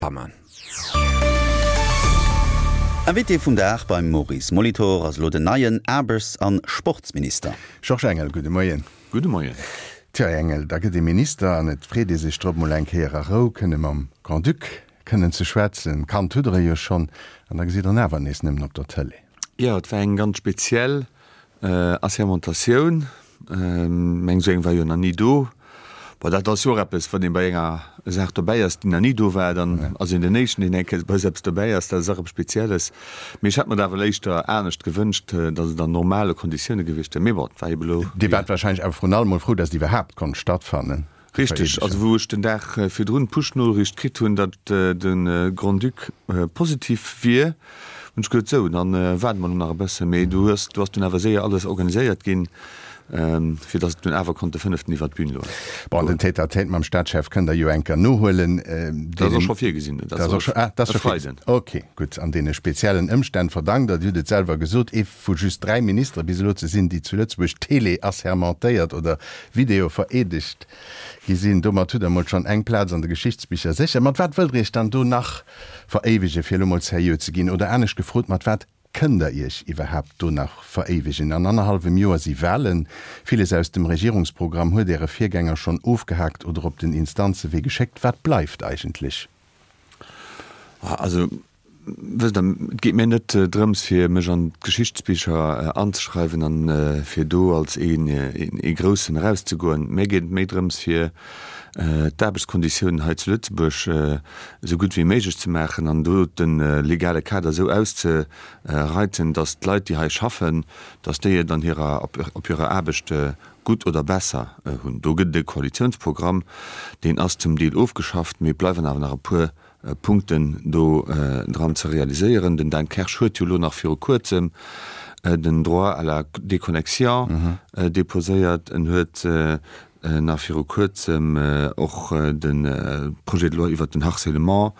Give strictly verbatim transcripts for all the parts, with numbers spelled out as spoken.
Pammen. Invité vum Dag beim Maurice Molitor ass elo den neien Aarbechts an Sportsminister. Georges Engel, gudde Moien. Gudde Moien. Tja, Här Engel, da gëtt ee Minister an et freet ee sech drop, mol eng Kéier a Rou kënne mam Grand-Duc kënnen ze schwätzen. Kannt hutt Der e jo schonn, an da gesitt Der en awer nees nëmmen op der Tëlee. Jo, et war eng ganz speziell Assermentatioun. Meng esou eng war jo nach ni do. Bon, dat ass jo och eppes, wann ee bei enger Saach dobäi ass, déi nach ni do war, dann ass een den Éischten, deen eng Kéier bei esou eppes dobäi ass. Dat ass och eppes Spezielles. Mee ech hätt mer et awer éischter anescht gewënscht, datt et an normale Konditioune gewiescht wär. Mee bon, et war ebe elo. Dir waart warscheinlech awer vrun allem mol frou, datt et iwwerhaapt konnt stattfannen. Richteg. Also wou ech den Dag virdrun d'Push-Noriicht kritt hunn, datt de Grand-Duc positiv wier, hunn ech gesot, sou, dann waarde mer elo nach e bëssen. Mee du hues, do ass dunn awer séier alles organiséiert ginn, fir datt et dunn awer konnt de fënneften iwwer d'Bün goen. Bon, den Tête-à-tête mam Staatschef kënnt Der jo eng Kéier nohuelen. Dat ass och scho virgesinn. Dat ass och scho, ah, dat ass scho virgesinn. Ok, gutt. An deene speziellen Ëmstänn verdankt Der, Dir hutt et selwer gesot, ee vu just dräi Ministere bis elo ze sinn, déi zu Lëtzebuerg tele-assermentéiert oder video-vereedegt gi sinn. Domat hutt Der emol schonn eng Plaz an de Geschichtsbicher sécher. Mat wat wëllt Der Iech dann do nach veréiwegen, fir elo mol seriö ze ginn? Oder anescht gefrot, mat wat kënnt Der Iech iwwerhaapt do nach veréiwegen? An annerhallwem Joer si Wahlen. Villes aus dem Regierungsprogramm huet Äre Virgänger schonn ofgehaakt oder op den Instanzewee geschéckt. Wat bleift eigentlech? Also, Wësst Der, et geet mir net drëms, fir mech an d'Geschichtsbicher anzeschreiwen an fir do als ee Groussen erauszegoen. Mir geet et méi drëms, fir d'Aarbechtskonditiounen hei zu Lëtzebuerg esou gutt wéi méiglech ze maachen an do de legale Kader esou auszereiten, datt d'Leit, déi hei schaffen, datt déi et an hirer, op hirer Aarbecht gutt oder besser hunn. Do gëtt et e Koalitiounsprogramm, deen ass zum Deel ofgeschafft, mee et bleiwen awer nach e puer Punkten do dran ze realiséieren. Den Dan Kersch huet jo elo nach viru Kuerzem den Droit à la déconnexion déposéiert. En huet nach viru Kuerzem och de Projet de loi iwwert den Harcèlement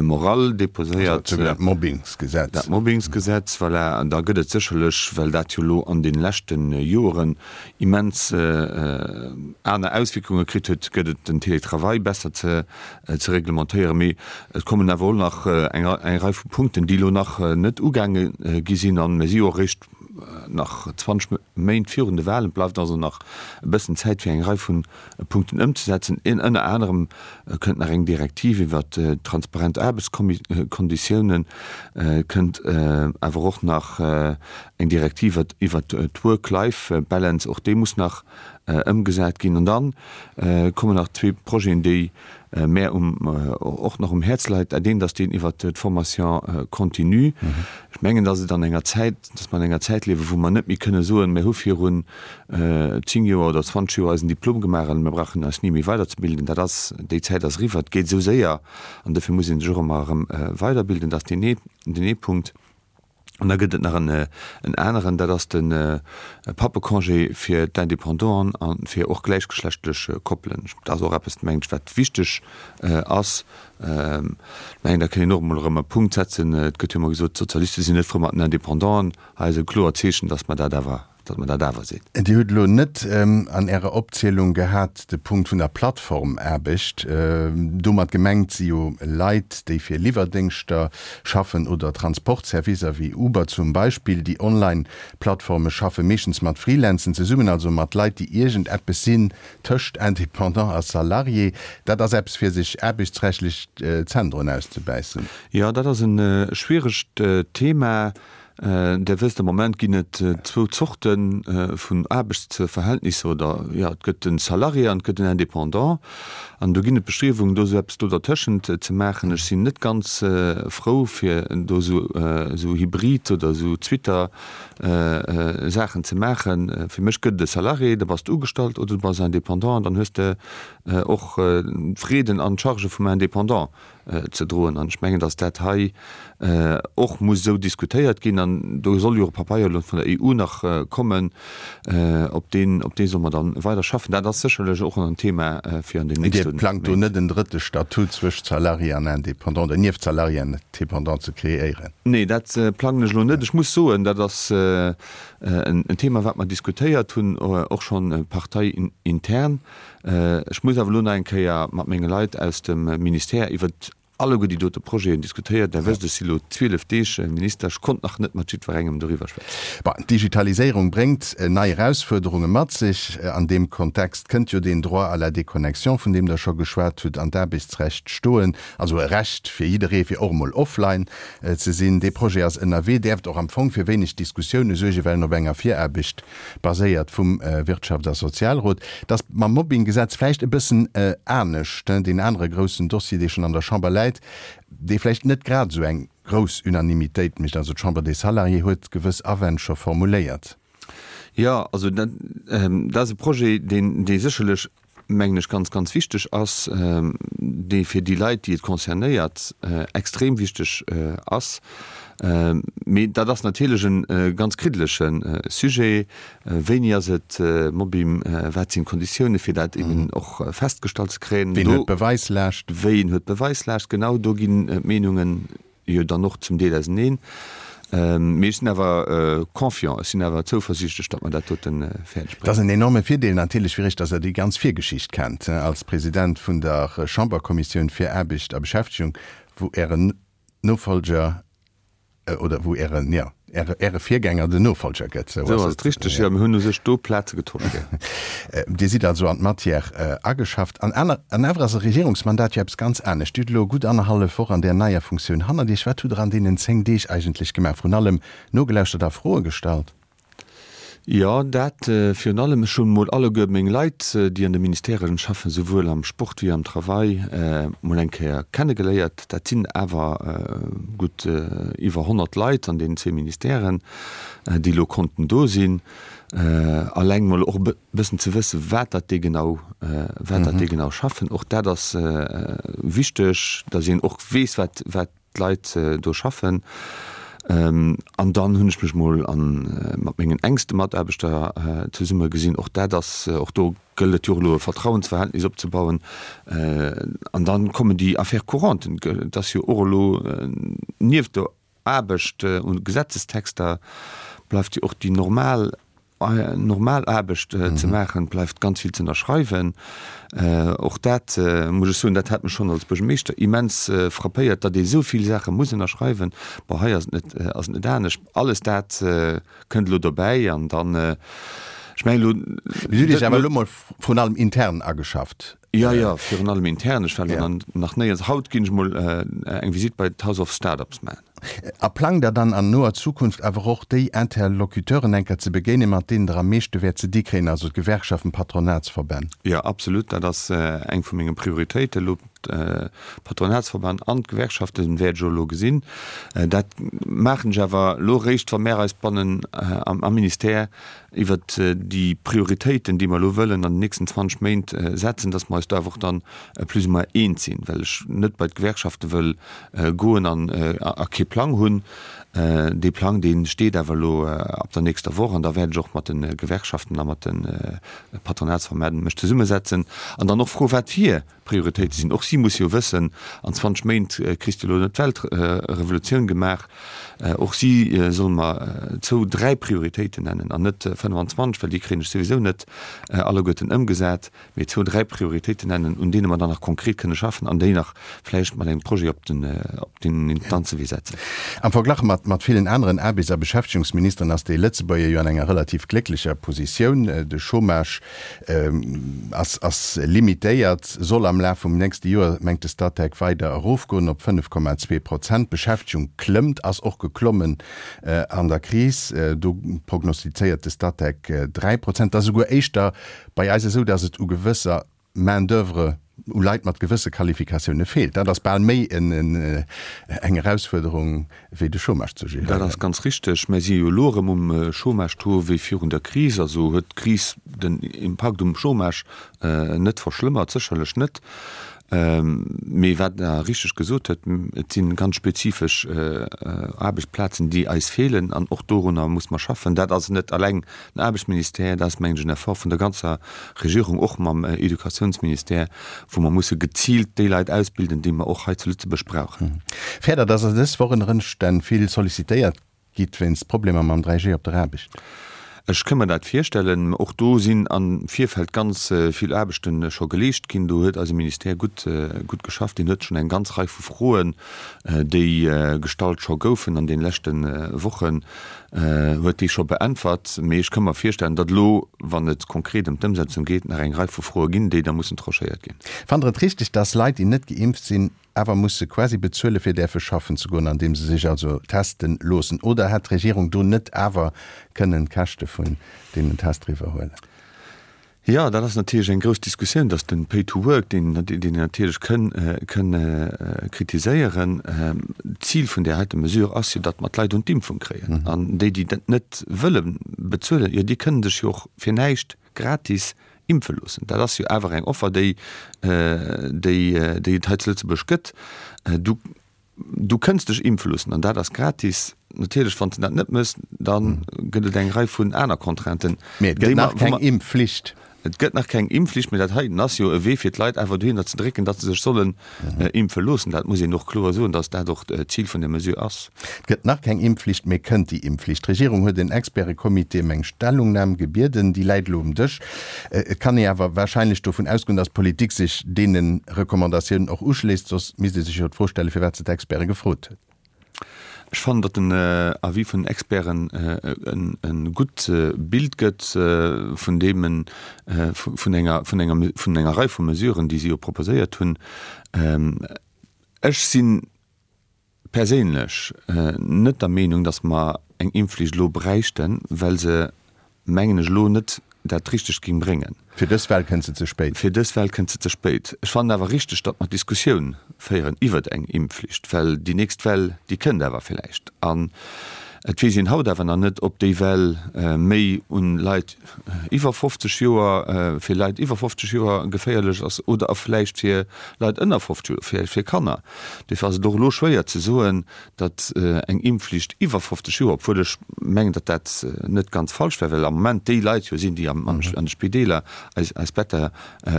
moral déposéiert. Also dat Mobbingsgesetz. Dat Mobbingsgesetz, voilà. An da gëtt et sécherlech, well dat jo elo an deene leschte Joeren immens aner Auswierkunge kritt huet, gëtt et den Télétravail besser ze ze reglementéieren. Mee et kommen awer och nach eng Rei vu Punkten, déi elo nach net ugaange gi sinn. A mir si jo och eréischt nach zwanzeg Méint virun de Wahlen. Et bleift also nach e bëssen Zäit, fir eng Rei vu Punkten ëmzesetzen. Ënner anerem kënnt nach eng Direktiv iwwert transparent Aarbechtskonditiounen, et kënnt awer och nach eng Direktiv iwwert d'Work-Life-Balance, och déi muss nach ëmgesat ginn. An da kommen nach zwee Projeten, déi mär och nach um Häerz leit. Dat eent ass deen iwwert d'Formation continue. Ech mengen, dass et an enger Zäit, dass mer an enger Zäit liewen, wou mer net méi kënne soen, mir hu virun zéng Joer oder zwanzeg Joer eisen Diplom gemaach an mir brauchen eis ni méi weiderzebilden. Dat ass, déi Zäit ass eriwwer. Et geet esou séier an dofir muss ee sech och ëmmer erëm weiderbilden. Dat ass deen ee, deen ee Punkt. An da gëtt et nach en aneren, dat ass de Pappecongé fir d'Independanten a fir och gläichgeschlechtlech Koppelen. Dat ass och eppes, mengen ech, wat wichteg ass. Ech mengen, da kënn een och emol erëm e Punkt setzen. Et gëtt jo ëmmer gesot, d'Sozialiste sinn net frou mat den Independanten. Hei ass e kloert Zeechen, datt mer dat awer datt mer dat awer sinn. Dir hutt elo net an Ärer Opzielung gehat de Punkt vun der Plattformaarbecht. Domat gemengt si jo Leit, déi fir Liwwerdéngschter schaffen oder Transportservicer wéi Uber zum Beispill. Déi Online-Plattforme schaffe meeschtens mat Freelancen zesummen, also mat Leit, déi iergendeppes sinn tëscht Indépendant a Salarié. Dat ass eppes, fir sech aarbechtsrechtlech d'Zänn drun auszebäissen. Jo, dat ass e schwieregt Thema. Der wësst, am Moment ginn et zwou Zorte vun Aarbechtsverhältnisser, oder jo, et gëtt de Salarié an et gëtt den Indépendant. An do ginn et Bestriewungen, do esou eppes do dertëschent ze maachen. Ech sinn net ganz frou, fir do esou Hybrid oder esou Twitter Saachen ze maachen. Fir mech gëtt et e Salarié, da bass de ugestallt, oder du bass Indépendant an dann hues de och d'Freden an d'Chargë vum Indépendant. ze droen. An ech mengen, datt dat hei och muss esou diskutéiert ginn. An do soll jo och e Papeier elo vun der E U nach kommen, op deen, op dee solle mer dann weider schaffen. Dat ass sécherlech och en Thema fir an den nächste Méint. Dir plangt do net en drëtte Statut zwëscht Salarié an Indépendant oder nieft Salarié an Indépendant ze kreéieren? Nee, dat plangen ech elo net. Ech muss soen, dat ass en Thema, wat mer diskutéiert hunn, och schonn parteiintern. Ech muss awer elo nach eng Kéier mat menge Leit aus dem Ministère iwwert alleguer déi dote Projeten diskutéiert. Der wësst, ech si lo zwielef Deeg Minister, ech konnt nach net mat jiddwerengem doriwwer schwätzen. Bon, d'Digitaliséierung bréngt nei Erausfuerderunge mat sech. An deem Kontext kënnt jo deen Droit à la déconnexion, vun deem Der scho geschwat hutt, an d'Aarbechtsrecht stoen, also e Recht fir jidderee fir och emol offline ze sinn. Dee Projet ass ënnerwee, däerft och am Fong fir wéineg Diskussioune suergen, well en op enger Viraarbecht baséiert vum Wirtschafts a Sozialrot. Et ass mam Mobbinggesetz vläicht e bëssen anescht, deen anere groussen Dossier, dee schonn an der Chamber läit, dee vläicht net grad esou eng grouss Unanimitéit mécht. Also d'Chambre des Salariés huet gewëss Awänn scho formuléiert. Jo, also dat ass e Projet, deen, dee sécherlech, mengen ech, ganz, ganz wichteg ass, dee fir déi Leit, déi et concernéiert, extrem wichteg ass. Mee dat ass natierlech e ganz kriddelege Sujet. Wéini ass et Mobbing? Wat sinn d'Konditioune fir dat eben och festgestallt ze kréien? Ween huet d'Beweislaascht? Ween huet d'Beweislaascht? Genau, do ginn d'Meenungen jo dann och zum Deel auseneen. Mee ech sinn awer confiant, ech sinn awer zouversiichtlech, datt mer dat dote fäerdeg Et ass bréngen. en enorme Virdeel natierlech fir Iech, datt Der déi ganz Virgeschicht kennt als President vun der Chamberkommissioun fir Aarbecht a Beschäftegung, wou Ären Nofolger, oder wou Ären, jo, Äre, Äre Virgänger den Nofolger gëtt, sou ass et richteg, jo. Mir hunn u sech do Plaze getosch, jo. Dir sidd also an d'Matière ageschafft. An aner, an awer ass e Regierungsmandat jo eppes ganz anescht. Dir hutt elo gutt annerhallef Woch an där neier Funktioun hannert Iech. Wat hutt Der an deenen zéng Deeg eigentlech gemaach? Vrun allem nogelauschtert a Froe gestallt? Jo, dat virun allem. Ech hunn mol alleguer meng Leit, déi an de Ministèren schaffen, souwuel am Sport wéi am Travail, mol eng Kéier kennegeléiert. Dat sinn awer gutt iwwer honnert Leit an deenen zwee Ministèren, déi elo konnten do sinn. Alleng mol och e bëssen ze wëssen, wat dat déi genau, wat dat déi genau schaffen. Och dat ass wichteg, datt een och weess, wat, wat d'Leit do schaffen. An dann hunn ech mech mol mat mengen enkste Mataarbechter zesumme gesinn. Och dat ass, och do gëllt et jo och elo e Vertrauensverhältnis opzebauen. An dann kommen déi Affaires courantes. Et ass jo och elo nieft der Aarbecht un Gesetzestexter bleift jo och déi normal normal Aarbecht ze maachen, bleift ganz vill ze ënnerschreiwen. Och dat muss ech soen, dat hat mech schonn als Buergermeeschter immens frappéiert, datt ee esou vill Saache muss ënnerschreiwen. Bon, hei ass et net, ass et net anescht. Alles dat kënnt elo dobäi an dann, ech mengen elo. Mir hunn Iech awer elo mol vrun allem intern ageschafft. Jo, jo, virun allem intern. Ech war elo nach néierens. Haut ginn ech mol eng Visitt bei d'House of Startups maachen. A plangt Der dann an noer Zukunft awer och déi Interlocuteuren enker ze begéinen, mat deenen Der am meeschte wäert ze di kréien, also d'Gewerkschaften, d'Patronatsverbänn? Jo, absolut. Dat ass eng vu menge Prioritéiten elo. D'Patronatsverbänn an d'Gewerkschaften wäert ech och elo gesinn. Dat maachen ech awer elo eréischt, wa mär eis bannen am Ministère iwwert déi Prioritéiten, déi mer elo wëllen an den nächsten zwanzeg Méint setzen, dass mer eis do awer och dann plus ou moins eens sinn, well ech net bei d'Gewerkschafte wëll goen an a kee Plang hunn. Dee Plang, dee steet awer elo ab der nächster Woch an da wäert ech och mat de Gewerkschaften a mat de Patronatsverbänn mech zesummesetzen an dann och froen, wat hir Prioritéite sinn. Och si musse jo wëssen, an zwanzeg Méint kriss de elo net d'Weltrevolutioun gemaach. Och si solle mer zwou, dräi Prioritéiten nennen an net fënnefanzwanzeg, well déi kréien ech souwisou net alleguerten ëmgesat, mee zwou, dräi Prioritéiten nennen, un deene mer dann nach konkret kënne schaffen an déi nach vläicht mat engem Projet op den, op den Instanzewee setzen. Am Verglach mat mat villen aneren Aarbechts a Beschäftegungsministeren ass dee Lëtzebuerger jo an enger relativ glécklecher Positioun. De Chômage ass ass limitéiert, soll am Laf vum nächste Joer, mengt de Statec, weider erofgoen op fënnef Komma zwee Prozent. D'Beschäftegung klëmmt, ass och geklommen an der Kris. Do prognostizéiert de Statec dräi Prozent. Et ass esouguer éischter bei eis esou, datt et u gewësser Main d'oeuvre, u Leit mat gewësse Qualifikatioune feelt. Dat ass bal méi eng Erausfuerderung wéi de Chômage ze géréieren. Dat ass ganz richteg. Mir si jo elo erëm um Chômage-Taux wéi virun der Kris. Also huet d'Kris den Impakt um Chômage net verschlëmmert, sécherlech net. Mee wat Der richteg gesot hutt, et si ganz spezifesch Aarbechtsplazen, déi eis feelen an och dorunner muss mer schaffen. Dat ass net alleng den Aarbechtsministère, dat ass, mengen ech, en Effort vun der ganzer Regierung, och mam Educatiounsministère, wou mer musse geziilt déi Leit ausbilden, déi mer och hei zu Lëtzebuerg brauchen. Fäert Der, dass Der dës Woch ënner Ëmstänn vill sollicitéiert gitt wéinst Problemer mam dräi G op der Aarbecht? Ech ka mer dat virstellen. Och do sinn am Virfeld ganz vill Aarbechte scho geleescht ginn. Do huet eise Ministère gutt, gutt geschafft. Deen huet schonn eng ganz Rei vu Froen, déi gestallt scho goufen an deene leschte Wochen, huet déi scho beäntwert. Mee ech ka mer virstellen, datt elo, wann et konkret ëm d'Ëmsetzung geet, nach eng Rei vu Froe ginn, déi da mussen tranchéiert ginn. Fannt Der et richteg, datt Leit, déi net geimpft sinn, awer musse quasi bezuele fir däerfe schaffen ze goen, andeem se sech also testen loossen? Oder hätt d'Regierung do net awer kënnen d'Käschte vun deenen Tester iwwerhuelen? Jo, dat ass natierlech eng grouss Diskussioun, dass de Pay to work, deen een natierlech kënn kënn kritiséieren, d'Zil vun där heite Mesure ass jo, datt mer d'Leit un d'Impfung kréien. An déi, déi dat net wëlle bezuelen, jo, déi kënnen sech jo och fir näischt gratis impfe loossen. Dat ass jo awer eng Offer, déi, déi, déi et hei zu Lëtzebuerg gëtt. Du, du kënns dech impfe loossen an dat ass gratis. Natierlech, wann s de dat net méchs, da gëtt et eng Rei vun aner Contrainten. Mee et gëtt nach keng Impfflicht. Et gëtt nach keng Impfflicht, mee dat heiten ass jo e Wee, fir d'Leit awer dohinner ze drécken, datt se sech sollen impfe loossen. Dat muss een och kloer soen, datt dat och d'Zil vun der Mesure ass. Et gëtt nach keng Impfflicht, mee kënnt déi Impfflicht? D'Regierung huet en Experte-Comité ëm eng Stellungnam gebieden. Déi läit elo um Dësch. Et kann ee awer warscheinlech dovun ausgoen, datt d'Politik sech deene Recommandatiounen och uschléisst. Soss misst ee sech jo d'Fro stellen, firwat se d'Experte gefrot huet. Ech fannen, datt den Avis vun den Experten e gutt Bild gëtt vun deem, vun enger, vun enger, vun enger Rei vu Mesuren, déi si jo proposéiert hunn. Ech si perséinlech net der Meenung, datt mer eng Impfflicht elo bräichten, well se, mengen ech, elo net dat Richtegt géing bréngen. Fir dës Well kënnt se ze spéit. Fir dës Well kënnt se ze spéit. Ech fannen awer richteg, datt mer d'Diskussioun féieren iwwert eng Impfflicht, well déi nächst Well, déi kënnt awer villäicht. An et weess een haut awer nach net, ob déi Well méi un Leit iwwer fofzeg Joer, fir Leit iwwer fofzeg Joer geféierlech ass oder a vläicht fir Leit ënner fofzeg Joer, fir, fir Kanner. Duerfir ass et och elo schwéier ze soen, datt eng Impfflicht iwwer fofzeg Joer, obwuel ech mengen, datt dat net ganz falsch wär, well am Moment déi Leit jo sinn, déi an de Spideeler eis eis Better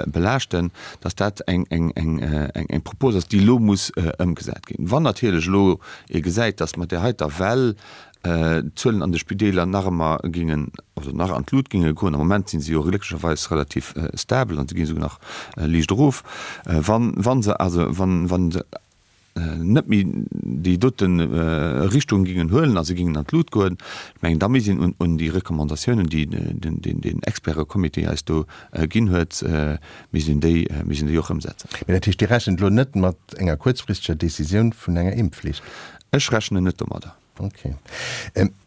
belaaschten, datt dat eng eng eng eng Propos ass, déi elo muss ëmgesat ginn. Wann natierlech elo ee gesäit, datt mat där heiter Well d'Zuelen an de Spideeler nach ëmmer géingen, also nach an d'Lut géinge goen, am Moment si se jo glécklecherweis relativ stabel an se ginn esouguer nach liicht erof, wann wa se also wann wann se net méi déi dote Richtung gingen huelen a se gingen an d'Lut goen, ech mengen, da misst een un déi Recommandatiounen, déi den Expertecomité eis do ginn huet, misst een déi, misst een déi och ëmsetzen. Mee dat heescht, Dir rechent elo net mat enger kuerzfristeger Décisioun vun enger Impfflicht? Ech rechnen net domadder. Ok.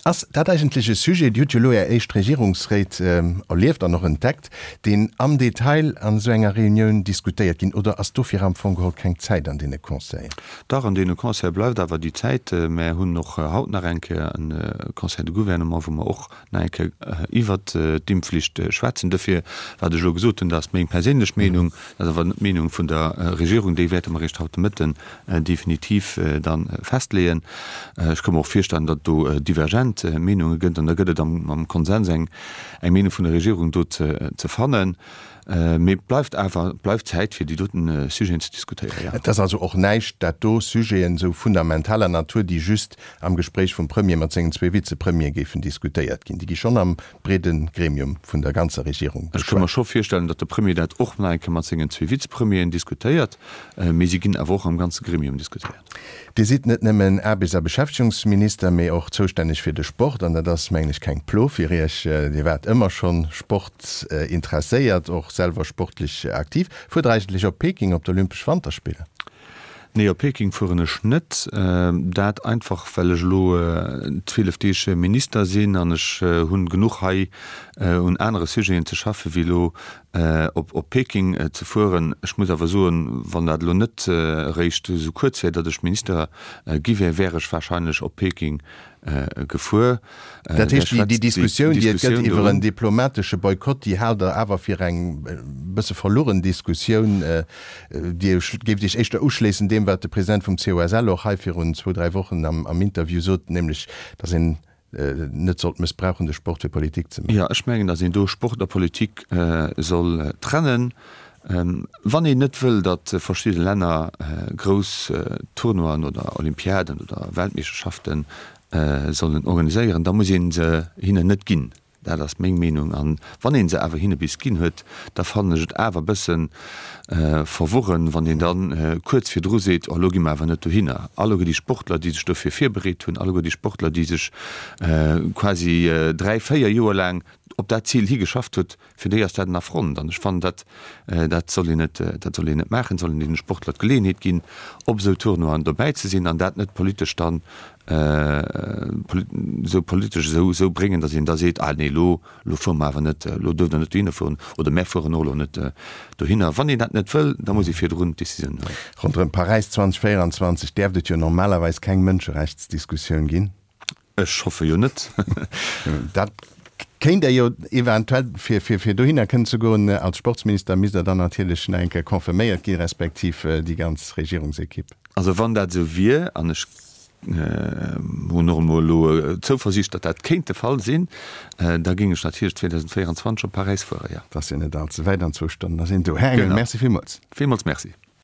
Ass dat eigentlech e Sujet, Dir hutt jo elo Är éischt Regierungsréit erlieft an och entdeckt, deen am Detail an esou enger Reunioun diskutéiert ginn, oder ass dofir am Fong geholl keng Zäit an deene Conseillen? Dach, an deene Conseile bleift awer déi Zäit. Mär hunn och haut nach eng Kéier e Conseil de Gouvernement, wou mer och nach eng Kéier iwwert d'Impfflicht schwätzen. Dofir, wat ech elo gesot hunn, dat ass meng perséinlech Meenung, dat ass awer net d'Meenung vun der Regierung, déi wäerte mer eréischt haut de Mëtten definitiv da festleeën. Ech ka mer och virstellen, datt et do divergent Meenunge gëtt an da gëtt et am Konsens eng Meenung vun der Regierung do ze fannen. Mee et bleift awer, et bleift Zäit fir déi doten Sujeten ze diskutéieren, jo. Et ass also och näischt, dat do Sujeten esou fundamentaler Natur, déi just am Gespréich vum Premier mat sengen zwee Vizepremiere géifen diskutéiert ginn. Déi gi schonn am breede Gremium vun der ganzer Regierung Ech ka mer scho virstellen, datt de Premier dat och nach eng Kéier mat sengen zwee Vizepremieren diskutéiert, mee si ginn awer och am ganze Gremium diskutéiert. Dir sidd net nëmmen Aarbechts a Beschäftegungsminister, mee och zoustänneg fir de Sport, an dat ass, mengen ech, keng Plo fir Iech. Dir waart ëmmer schonn sportinteresséiert, och selwer sportlech aktiv. Fuert Der eigentlech op Peking op d'Olympesch Wanterspiller? Nee, op Peking fueren ech net. Dat einfach well ech elo zwielef Deeg Minister sinn an ech hunn genuch hei un anere Sujeten ze schaffe wéi elo op Peking ze fueren. Ech muss awer soen, wann dat elo net eréischt esou kuerz wär, datt ech Minister gi wär, wär ech wahrscheinlech op Peking gefuer. Dat heescht, déi Diskussioun, déi et gëtt iwwer en diplomatesche Boykott, déi haalt Der awer fir eng e bësse verlueren Diskussioun. Dir géift Iech éischter uschléissen deem, wat de President vum COSL och hei virun zwou, dräi Wochen am Interview sot, nämlech datt een net sollt mëssbrauchen, de Sport fir Politik ze maachen. Jo, ech mengen, datt een do Sport a Politik soll trennen. Wann een net wëll, datt verschidde Länner grouss Tournoien oder Olympiaden oder Weltmeeschterschaften sollen organiséieren, da muss ee se hinnen net ginn. Dat ass meng Meenung. An wann ee se awer hinne bis ginn huet, da fannen ech et awer e bësse verworren, wann een da kuerz virdru seet, oh elo gi mer awer net dohinner. Alleguer déi Sportler, déi sech dofir virbereet hunn, alleguer déi Sportler, déi sech quasi dräi, véier Joer laang op dat Zil higeschafft huet, fir déi ass dat en Affront. An ech fannen, dat dat soll een net, dat soll een net maachen. Et soll een deene Sportler d'Geleeënheet ginn, op esou Tournoien dobäi ze sinn an dat net politesch dann esou politesch esou esou bréngen, datt een da seet, ah nee, elo elo fuere mer awer net, elo duerft Der net dohinner fueren oder mär fueren och elo net dohinner. Wann een dat net wëll, da muss ee virdrun d'Decisioun huelen. Ronderëm Paräis zweitausendvéierundzwanzeg däerft et jo normalerweis keng Mënscherechtsdiskussioun ginn. Ech hoffe jo net. Dat kéint Der jo eventuell, fir fir dohinner kënnen ze goen als Sportsminister, misst Der dann natierlech nach eng Kéier confirméiert ginn, respektiv déi ganz Regierungsekipp. Also wann dat esou wier, an ech hunn och emol elo d'Zouversiicht, datt dat kéint de Fall sinn, da géing ech natierlech zweedausendvéierundzwanzeg op Paräis fueren, jo. Dat ass jo net all ze wäit, an zwou Stonnen ass een do. Här Engel, Merci villmools. Villmools Merci.